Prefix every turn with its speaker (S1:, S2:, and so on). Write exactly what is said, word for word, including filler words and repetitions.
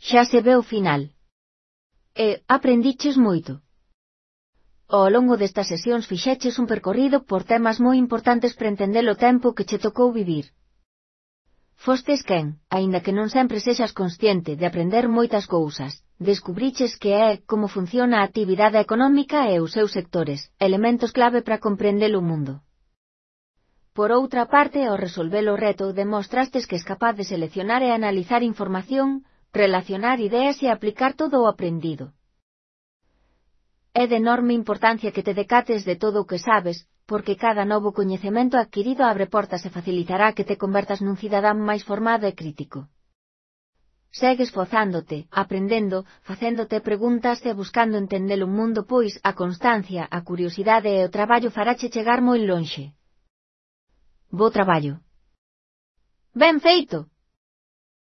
S1: Xa se ve o final. E, aprendiches moito. Ao longo destas sesións fixeches un percorrido por temas moi importantes para entender o tempo que che tocou vivir. Fostes quen, aínda que non sempre sexas consciente de aprender moitas cousas, descubriches que é como funciona a actividade económica e os seus sectores, elementos clave para comprender o mundo. Por outra parte, ao resolver o reto demostrastes que es capaz de seleccionar e analizar información, relacionar ideas e aplicar todo o aprendido. É de enorme importancia que te decates de todo o que sabes, porque cada novo coñecemento adquirido abre portas e facilitará que te convertas nun cidadán máis formado e crítico. Segue esforzándote, aprendendo, facéndote preguntas e buscando entender o mundo pois a constancia, a curiosidade e o traballo farache chegar moi lonxe. Bo traballo. Ben feito!